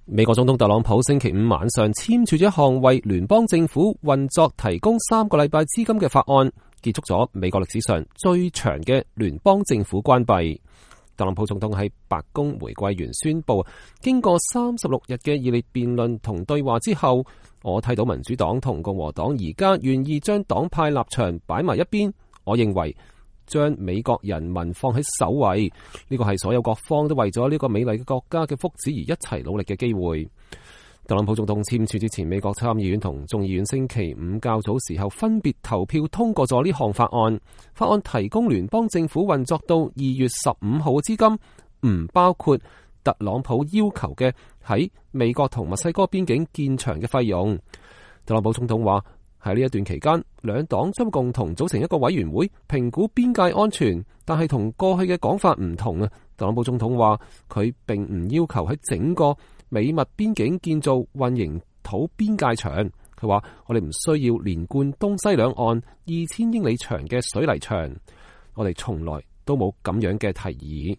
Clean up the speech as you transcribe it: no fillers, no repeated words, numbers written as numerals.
美國總統特朗普星期五晚上簽署咗一項為聯邦政府運作提供3個禮拜資金嘅法案，結束咗美國歷史上最長嘅聯邦政府關閉。特朗普總統喺白宮玫瑰園宣布，經過36日嘅熱烈辯論同對話之後，我睇到民主黨同共和黨而家願意將黨派立場擺埋一邊。我認為將美國人民放喺首位，呢個係所有各方都為咗呢個美麗嘅國家嘅福祉而一齊努力嘅機會。特朗普總統簽署之前，美國參議院同眾議院星期五較早時候分別投票通過咗呢項法案。法案提供聯邦政府運作到2月15號嘅資金，唔包括特朗普要求嘅喺美國同墨西哥邊境建牆嘅費用。特朗普總統話，喺呢一段期間，兩黨將共同組成一個委員會評估邊界安全，但係同過去嘅講法唔同啊。特朗普總統話，佢並唔要求喺整個美墨邊境建造混凝土邊界牆。佢話，我哋唔需要連貫東西兩岸2000英里長嘅水泥牆，我哋從來都冇咁樣嘅提議。